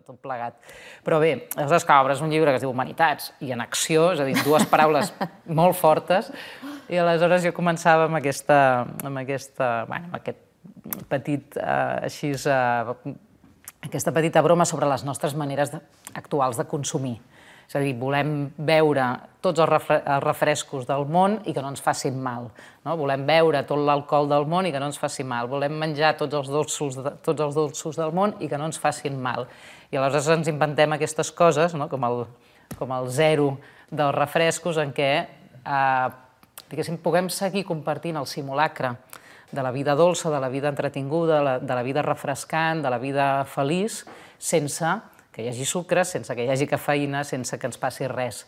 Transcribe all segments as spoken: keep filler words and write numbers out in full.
tot plegat. Però bé, aleshores, clar, obres un llibre que es diu Humanitats i en acció, és a dir, dues paraules molt fortes, i aleshores jo començava amb aquesta, amb aquesta, bueno, amb aquest petit, eh, així, eh, aquesta petita broma sobre les nostres maneres de, actuals de consumir. És a dir, volem veure tots els, refre els refrescos del món i que no ens facin mal. No? Volem beure tot l'alcohol del món i que no ens faci mal. Volem menjar tots els, dolços de, tots els dolços del món i que no ens facin mal. I aleshores ens inventem aquestes coses, no? com, el, com el zero dels refrescos, en què eh, diguéssim, puguem seguir compartint el simulacre de la vida dolça, de la vida entretinguda, de la, de la vida refrescant, de la vida feliç, sense que hi hagi sucre, sense que hi hagi cafeïna, sense que ens passi res.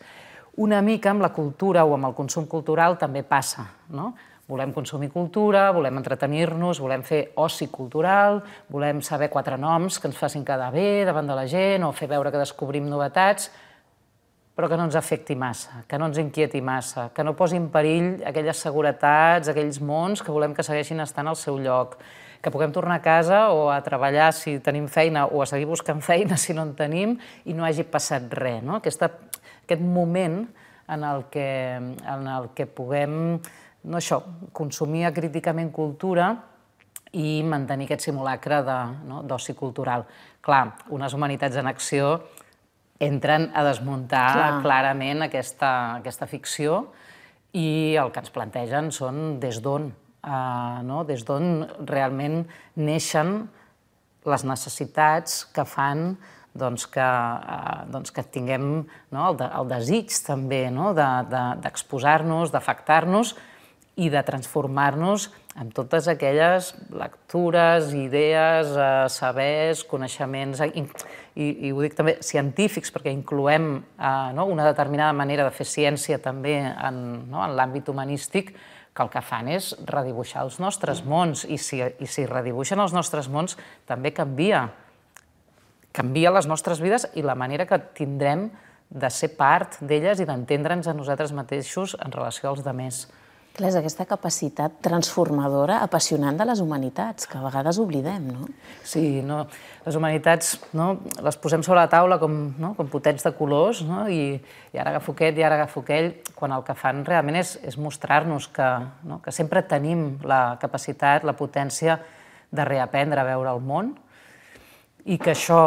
Una mica amb la cultura o amb el consum cultural també passa, no? Volem consumir cultura, volem entretenir-nos, volem fer oci cultural, volem saber quatre noms que ens facin quedar bé davant de la gent o fer veure que descobrim novetats, però que no ens afecti massa, que no ens inquieti massa, que no posi en perill aquelles seguretats, aquells mons que volem que segueixin estant al seu lloc, que puguem tornar a casa o a treballar si tenim feina o a seguir buscant feina si no en tenim i no hagi passat res. No? Aquesta, aquest moment en el que, en el que puguem no això, consumir acríticament cultura i mantenir aquest simulacre d'oci no, cultural. Clar, unes humanitats en acció entren a desmuntar Clar. clarament aquesta, aquesta ficció i el que ens plantegen són des d'on. Uh, no? Des d'on realment neixen les necessitats que fan doncs, que, uh, doncs, que tinguem no? el, de, el desig també no? d'exposar-nos, de, d'afectar-nos i de transformar-nos en totes aquelles lectures, idees, uh, sabers, coneixements, i, i, i ho dic també científics, perquè incloem uh, no? una determinada manera de fer ciència també en, no? en l'àmbit humanístic, que el que fan és redibuixar els nostres mons, i si, i si redibuixen els nostres mons també canvia. Canvia les nostres vides i la manera que tindrem de ser part d'elles i d'entendre'ns a nosaltres mateixos en relació als altres. Clar, és aquesta capacitat transformadora, apassionant de les humanitats, que a vegades oblidem, no? Sí, no? Les humanitats no? les posem sobre la taula com, no? com potets de colors, no? I, i ara agafo aquest i ara agafo aquell, quan el que fan realment és, és mostrar-nos que, no? que sempre tenim la capacitat, la potència de reaprendre a veure el món i que això,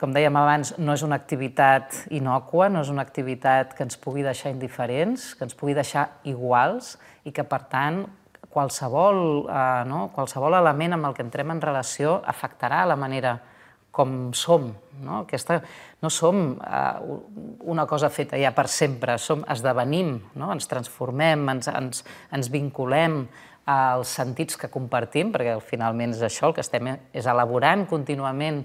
com dèiem abans, no és una activitat innòcua, no és una activitat que ens pugui deixar indiferents, que ens pugui deixar iguals i que, per tant, qualsevol, eh, no? qualsevol element amb el que entrem en relació afectarà la manera com som. No, Aquesta, no som eh, una cosa feta ja per sempre, som, esdevenim, no? ens transformem, ens, ens, ens vinculem als sentits que compartim, perquè finalment és això, el que estem és elaborant contínuament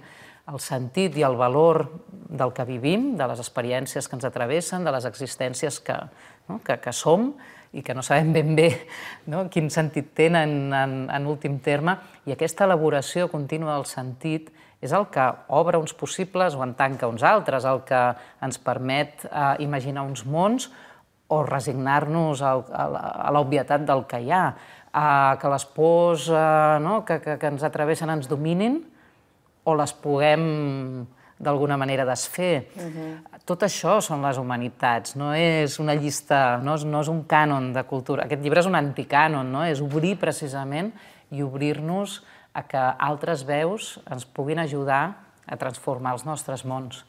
el sentit i el valor del que vivim, de les experiències que ens atravessen, de les existències que, no? que, que som i que no sabem ben bé no? quin sentit tenen en, en últim terme, i aquesta elaboració contínua del sentit és el que obre uns possibles o en tanca uns altres, el que ens permet eh, imaginar uns mons o resignar-nos a, a, a l'obvietat del que hi ha, a que les pors eh, no? que, que, que ens atravessen ens dominin, o les puguem d'alguna manera desfer. Uh-huh. Tot això són les humanitats, no és una llista, no és, no és un cànon de cultura. Aquest llibre és un anticànon, no? És obrir precisament i obrir-nos a que altres veus ens puguin ajudar a transformar els nostres mons.